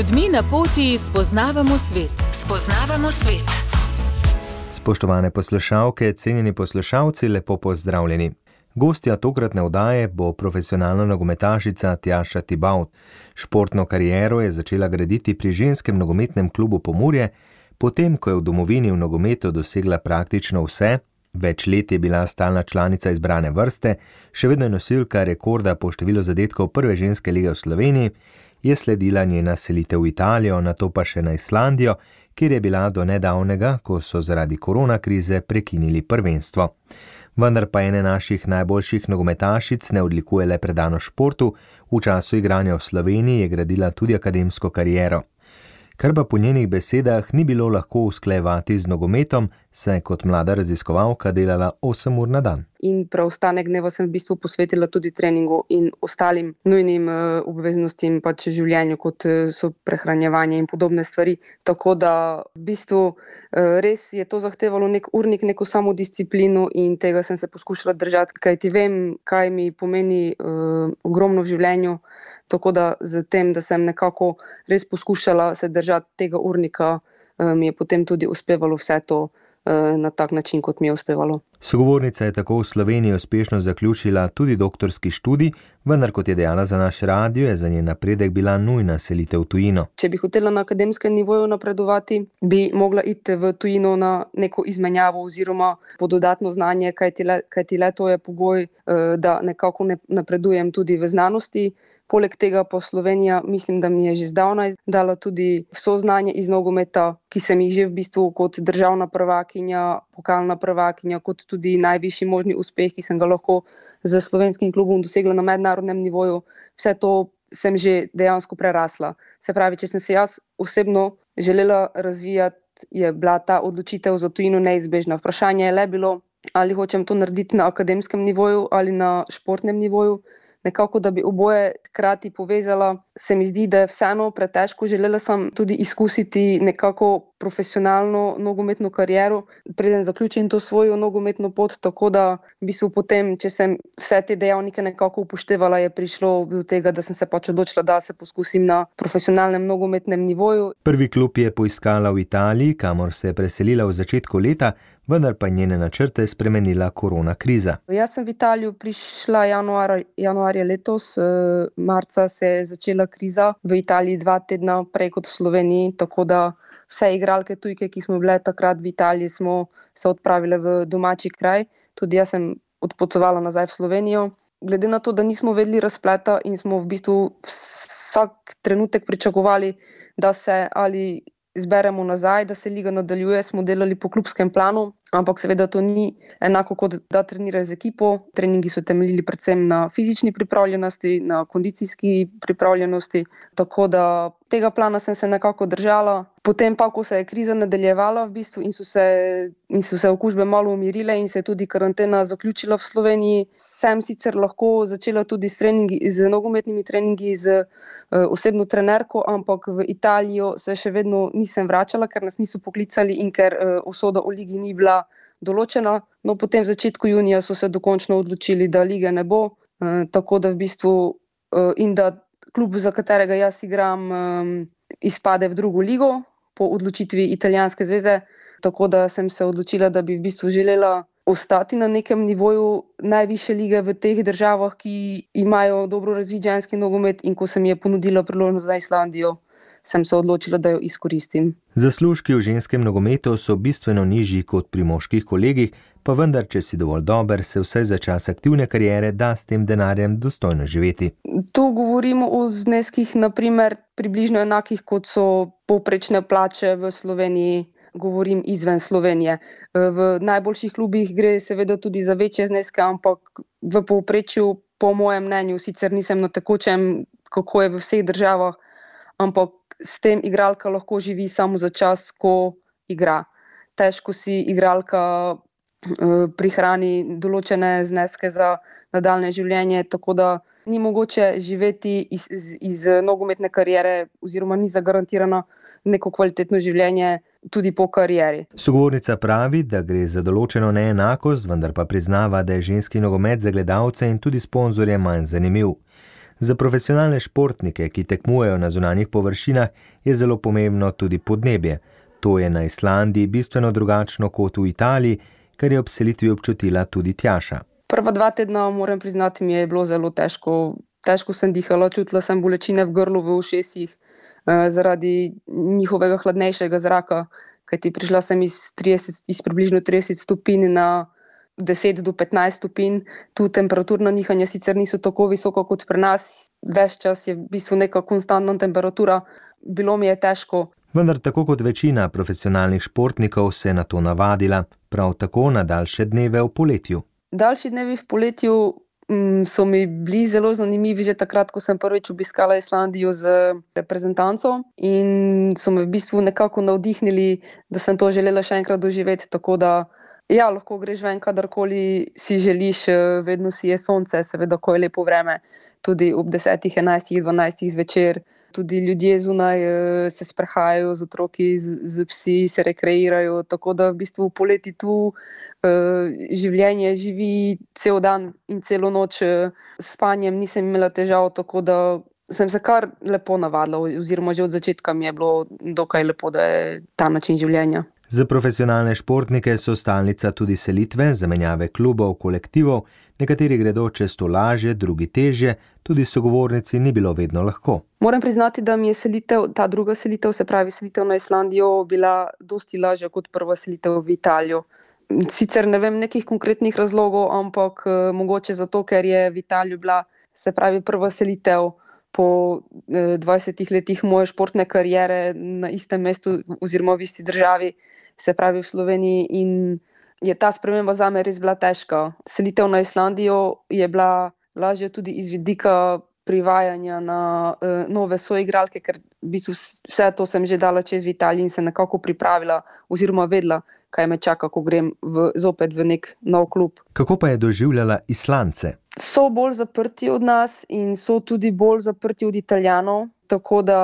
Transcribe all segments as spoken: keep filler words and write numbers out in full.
ljudmi na poti spoznavamo svet. Spoznavamo svet. Spoštovane poslušalke, cenjeni poslušalci, lepo pozdravljeni. Gostja tokratne oddaje bo profesionalna nogometašica Tjaša Tibavt. Športno kariero je začela graditi pri ženskem nogometnem klubu Pomurje, potem ko je v domovini v nogometu dosegla praktično vse. Več let je bila stalna članica izbrane vrste, še vedno je nosilka rekorda po številu zadetkov prve ženske lige v Sloveniji, je sledila njena selitev v Italijo, nato pa še na Islandijo, kjer je bila do nedavnega, ko so zaradi korona krize prekinili prvenstvo. Vendar pa ene naših najboljših nogometašic ne odlikuje le predano športu, v času igranja v Sloveniji je gradila tudi akademsko kariero. Kar pa po njenih besedah ni bilo lahko usklajevati z nogometom, saj je kot mlada raziskovalka delala osem ur na dan. In preostanek dneva sem v bistvu posvetila tudi treningu in ostalim nujnim uh, obveznostim pač življenju, kot uh, so prehranjevanje in podobne stvari. Tako da v bistvu uh, res je to zahtevalo nek urnik, neko samodisciplino in tega sem se poskušala držati, kajti vem, kaj mi pomeni uh, ogromno v življenju. Tako da z tem, da sem nekako res poskušala se držati tega urnika, mi je potem tudi uspevalo vse to na tak način, kot mi je uspevalo. Sogovornica je tako v Sloveniji uspešno zaključila tudi doktorski študij, vendar kot je dejala za naš radio, je za njen napredek bila nujna selitev v tujino. Če bi hotela na akademskem nivoju napredovati, bi mogla iti v tujino na neko izmenjavo oziroma po dodatno znanje, kajti le, kajti le to je pogoj, da nekako ne napredujem tudi v znanosti. Poleg tega pa Slovenija, mislim, da mi je že zdavnaj dala tudi vso znanje iz nogometa, ki sem jih že v bistvu kot državna prvakinja, pokalna prvakinja, kot tudi najvišji možni uspeh, ki sem ga lahko z slovenskim klubom dosegla na mednarodnem nivoju. Vse to sem že dejansko prerasla. Se pravi, če sem se jaz osebno želela razvijati, je bila ta odločitev za tujino neizbežna. Vprašanje je le bilo, ali hočem to narediti na akademskem nivoju ali na športnem nivoju. Nekako, da bi oboje hkrati povezala, se mi zdi, da je vseeno pretežko. Želela sem tudi izkusiti nekako profesionalno nogometno kariero, preden zaključim to svojo nogometno pot, tako da v bistvu potem, če sem vse te dejavnike nekako upoštevala, je prišlo do tega, da sem se pač odločila, da se poskusim na profesionalnem nogometnem nivoju. Prvi klub je poiskala v Italiji, kamor se je preselila v začetku leta, vendar pa njene načrte spremenila korona kriza. Jaz sem v Italijo prišla januar, januarja letos, marca se je začela kriza v Italiji dva tedna prej kot v Sloveniji, tako da vse igralke tujke, ki smo bile takrat v Italiji, smo se odpravile v domači kraj. Tudi jaz sem odpotovala nazaj v Slovenijo. Glede na to, da nismo vedeli razpleta in smo v bistvu vsak trenutek pričakovali, da se ali zberemo nazaj, da se liga nadaljuje, smo delali po klubskem planu, ampak seveda to ni enako kot da treniraš z ekipo. Treningi so temeljili predvsem na fizični pripravljenosti, na kondicijski pripravljenosti, tako da tega plana sem se nekako držala. Potem pa, ko se je kriza nadaljevala v bistvu in so se, in so se okužbe malo umirile in se je tudi karantena zaključila v Sloveniji, sem sicer lahko začela tudi s treningi, z nogometnimi treningi z uh, osebno trenerko, ampak v Italijo se še vedno nisem vračala, ker nas niso poklicali in ker uh, usoda o ligi ni bila določena. No, potem v začetku junija so se dokončno odločili, da lige ne bo, uh, tako da v bistvu uh, in da klub, za katerega jaz igram, um, izpade v drugo ligo po odločitvi italijanske zveze, tako da sem se odločila, da bi v bistvu želela ostati na nekem nivoju najvišje lige v teh državah, ki imajo dobro razvit ženski nogomet, in ko se mi je ponudila priložnost za Islandijo, sem se odločila, da jo izkoristim. Zaslužki v ženskem nogometu so bistveno nižji kot pri moških kolegih, pa vendar, če si dovolj dober, se vsaj za čas aktivne kariere da s tem denarjem dostojno živeti. Tu govorimo o zneskih, naprimer, približno enakih, kot so povprečne plače v Sloveniji, govorim izven Slovenije. V najboljših klubih gre seveda tudi za večje zneske, ampak v povprečju, po mojem mnenju, sicer nisem na tekočem, kako je v vseh državah, ampak s tem igralka lahko živi samo za čas, ko igra. Težko si igralka prihrani določene zneske za nadaljne življenje, tako da ni mogoče živeti iz, iz, iz nogometne kariere oziroma ni zagarantirano neko kvalitetno življenje tudi po karieri. Sogovornica pravi, da gre za določeno neenakost, vendar pa priznava, da je ženski nogomet za gledalce in tudi sponzorje manj zanimiv. Za profesionalne športnike, ki tekmujejo na zunanjih površinah, je zelo pomembno tudi podnebje. To je na Islandiji bistveno drugačno kot v Italiji, kar je ob selitvi občutila tudi Tjaša. Prva dva tedna, moram priznati, mi je bilo zelo težko. Težko sem dihala, čutila sem bolečine v grlu, v ušesih, eh, zaradi njihovega hladnejšega zraka, kajti prišla sem iz, trideset, iz približno trideset stopinj na deset do petnajst stopinj. Tu temperaturna nihanja sicer niso tako visoka kot pri nas, ves čas je v bistvu neka konstantna temperatura. Bilo mi je težko. Vendar tako kot večina profesionalnih športnikov se je na to navadila, prav tako na daljše dneve v poletju. Daljši dnevi v poletju mm, so mi bili zelo zanimivi že takrat, ko sem prvič obiskala Islandijo z reprezentanco in so me v bistvu nekako navdihnili, da sem to želela še enkrat doživeti, tako da ja, lahko greš ven, kadarkoli si želiš, vedno si je sonce, seveda, ko je lepo vreme, tudi ob desetih, enajstih, dvanajstih zvečer. Tudi ljudje zunaj se sprehajajo z otroki, z, z psi, se rekreirajo, tako da v bistvu poleti tu življenje živi cel dan in celo noč. S spanjem nisem imela težav, tako da sem se kar lepo navadila, oziroma že od začetka mi je bilo dokaj lepo, da je ta način življenja. Za profesionalne športnike so stalnica tudi selitve, zamenjave klubov, kolektivov, nekateri gredo čez to lažje, drugi težje, tudi sogovornici ni bilo vedno lahko. Moram priznati, da mi je selitev, ta druga selitev, se pravi selitev na Islandijo, bila dosti lažja kot prva selitev v Italijo. Sicer ne vem nekih konkretnih razlogov, ampak mogoče zato, ker je v Italiji bila, se pravi, prva selitev po dvajsetih letih moje športne kariere na istem mestu oziroma v isti državi, se pravi v Sloveniji, in je ta sprememba zame res bila težka. Selitev na Islandijo je bila lažja tudi iz vidika privajanja na uh, nove soigralke, ker v bistvu vse to sem že dala čez v Italiji in se nekako pripravila oziroma vedela, kaj me čaka, ko grem v, zopet v nek nov klub. Kako pa je doživljala Islandce? So bolj zaprti od nas in so tudi bolj zaprti od Italijanov, tako da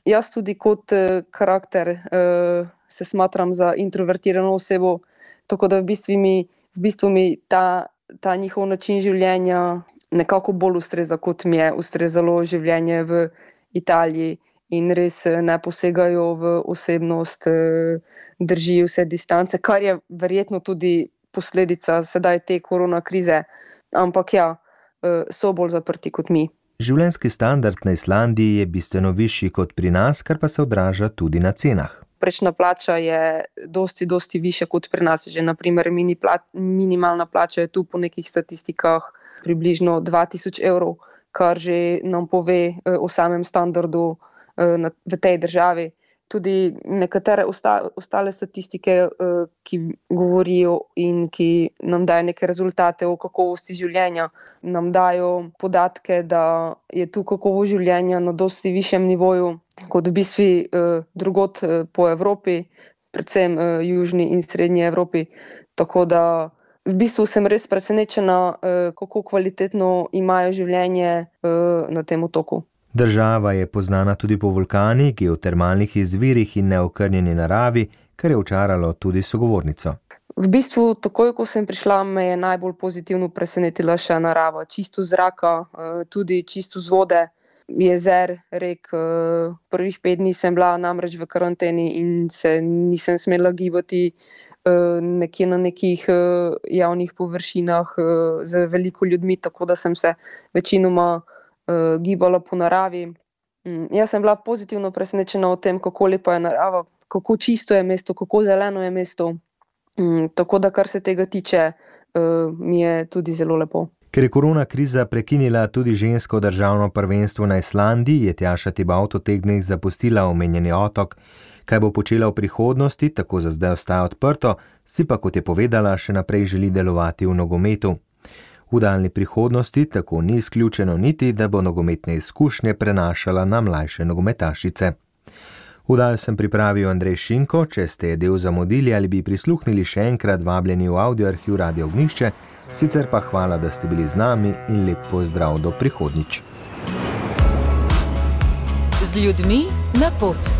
jaz tudi kot uh, karakter uh, se smatram za introvertirano osebo, tako da v bistvu mi, v bistvu mi ta, ta njihov način življenja nekako bolj ustreza, kot mi je ustrezalo življenje v Italiji, in res ne posegajo v osebnost, držijo vse distance, kar je verjetno tudi posledica sedaj te korona krize, ampak ja, so bolj zaprti kot mi. Življenjski standard na Islandiji je bistveno višji kot pri nas, kar pa se odraža tudi na cenah. Prečna plača je dosti, dosti višja kot pri nas. Že naprimer mini pla- minimalna plača je tu po nekih statistikah približno dva tisoč evrov, kar že nam pove o samem standardu v tej državi. Tudi nekatere osta- ostale statistike, ki govorijo in ki nam dajo neke rezultate o kakovosti življenja, nam dajo podatke, da je tu kakovost življenja na dosti višjem nivoju kot v bistvu drugod po Evropi, predvsem južni in srednji Evropi. Tako da v bistvu sem res presenečena, kako kvalitetno imajo življenje na tem otoku. Država je poznana tudi po vulkanih, geotermalnih izvirih in neokrnjeni naravi, kar je očaralo tudi sogovornico. V bistvu, takoj ko sem prišla, me je najbolj pozitivno presenetila še narava. Čisto zraka, tudi čisto z vode, jezer, rek. Prvih pet dni sem bila namreč v karanteni in se nisem smela gibati nekje na nekih javnih površinah z veliko ljudmi, tako da sem se večinoma gibala po naravi. Jaz sem bila pozitivno presenečena o tem, kako lepa je narava, kako čisto je mesto, kako zeleno je mesto. Tako da, kar se tega tiče, mi je tudi zelo lepo. Ker je korona kriza prekinila tudi žensko državno prvenstvo na Islandiji, je Tjaša Tibaut v teh dneh zapustila omenjeni otok. Kaj bo počela v prihodnosti, tako za zdaj ostaja odprto, si pa, kot je povedala, še naprej želi delovati v nogometu. V daljni prihodnosti tako ni izključeno niti, da bo nogometne izkušnje prenašala na mlajše nogometašice. Vdajo sem pripravil Andrej Šinko, če ste del zamudili ali bi prisluhnili še enkrat, vabljeni v audioarhiv Radio Ognjišče, sicer pa hvala, da ste bili z nami in lep pozdrav do prihodnjič. Z ljudmi na pot.